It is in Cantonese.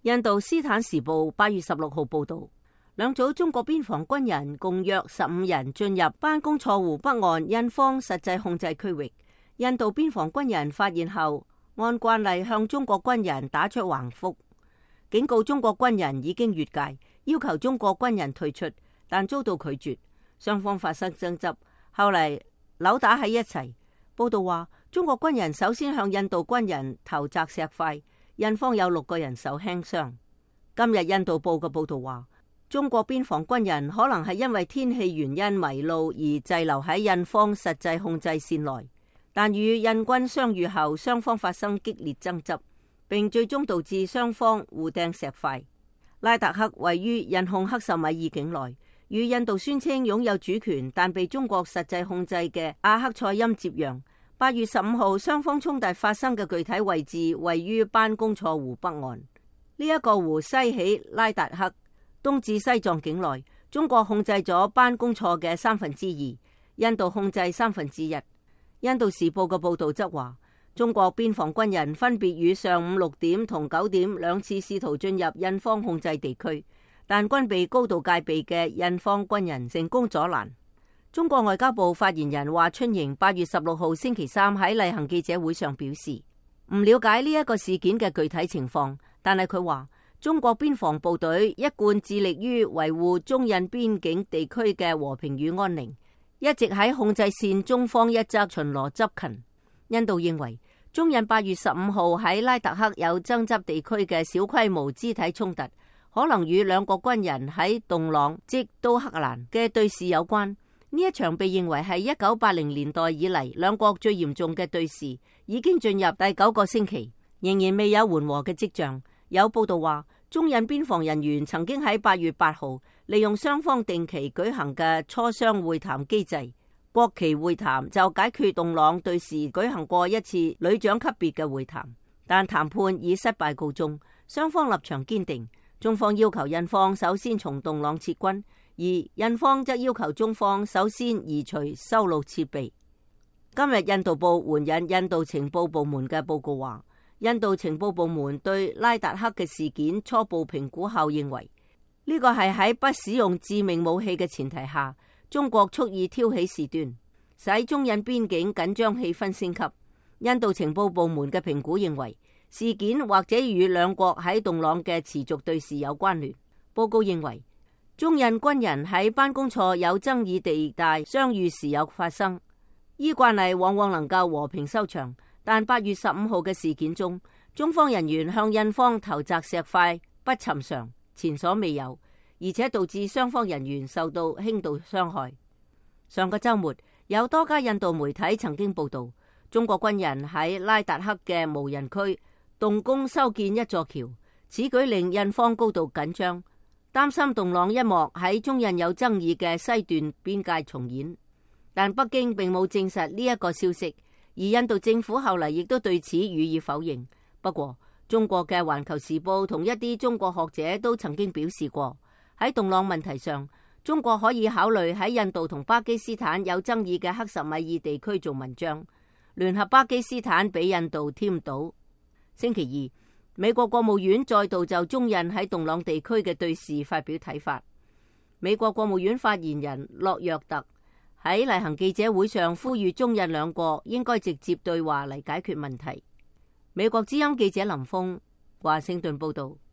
印度斯坦時報8月16號報道，兩組中國邊防軍人共約15人進入班公錯湖北岸印方實際控制區域。印度邊防軍人發現後，按慣例向中國軍人打出橫幅，警告中國軍人已經越界，要求中國軍人退出，但遭到拒絕。雙方發生爭執，後嚟扭打喺一齊。報道話，中國軍人首先向印度軍人投擲石塊，印方有6個人受輕傷。今日印度報嘅報道話，中國邊防軍人可能係因為天氣原因迷路而滯留喺印方實際控制線內，但與印軍相遇後，雙方發生激烈爭執，並最終導致雙方互掟石塊。拉達克位於印控克什米爾境內，與印度宣稱擁有主權但被中國實際控制嘅阿克賽欽接壤。8月15號，雙方衝突發生嘅具體位置位於班公錯湖北岸。呢一個湖西起拉達克，東至西藏境內。中國控制咗班公錯嘅2/3，印度控制1/3。印度時報嘅報道則話，中國邊防軍人分別於上午6點同9點兩次試圖進入印方控制地區，但均被高度戒備嘅印方軍人成功阻攔。中國外交部發言人華春瑩8月16號星期三喺例行記者會上表示，唔了解呢一個事件嘅具體情況，但係佢話中國邊防部隊一貫致力於維護中印邊境地區嘅和平與安寧，一直喺控制線中方一側巡邏執勤。印度認為中印8月15號喺拉達克有爭執地區嘅小規模肢體衝突，可能與兩國軍人喺洞朗即都克蘭嘅對峙有關。呢一場被認為係1980年代以嚟兩國最嚴重嘅對峙，已經進入第9個星期，仍然未有緩和嘅跡象。有報道話，中印邊防人員曾經喺8月8號利用雙方定期舉行嘅磋商會談機制國旗會談，就解決洞朗對峙舉行過一次旅長級別嘅會談，但談判以失敗告終，雙方立場堅定。中方要求印方首先從洞朗撤軍，而印方則要求中方首先移除修路設備。今日印度報援引印度情報部門嘅報告話，印度情報部門對拉達克嘅事件初步評估後認為，呢個係喺不使用致命武器嘅前提下，中國蓄意挑起事端，使中印邊境緊張氣氛升級。印度情報部門嘅評估認為，事件或者與兩國喺洞朗嘅持續對峙有關聯。報告認為，中印軍人喺班公錯有爭議地帶相遇時有發生，依慣例往往能夠和平收場，但8月15號嘅事件中，中方人員向印方投擲石塊不尋常，前所未有，而且導致雙方人員受到輕度傷害。上個週末，有多家印度媒體曾經報道，中國軍人喺拉達克嘅無人區動工修建一座橋，此舉令印方高度緊張，擔心洞朗一幕喺中印有爭議嘅西段邊界重演。但北京並冇證實呢一個消息，而印度政府後嚟亦都對此予以否認。不過，中國嘅《環球時報》同一啲中國學者都曾經表示過，喺洞朗問題上，中國可以考慮喺印度同巴基斯坦有爭議嘅克什米爾地區做文章，聯合巴基斯坦俾印度添堵。星期二，美國國務院再度就中印喺洞朗地區嘅對峙發表睇法。美國國務院發言人洛約特喺例行記者會上呼籲中印兩國應該直接對話嚟解決問題。美國之音記者林峰華盛頓報道。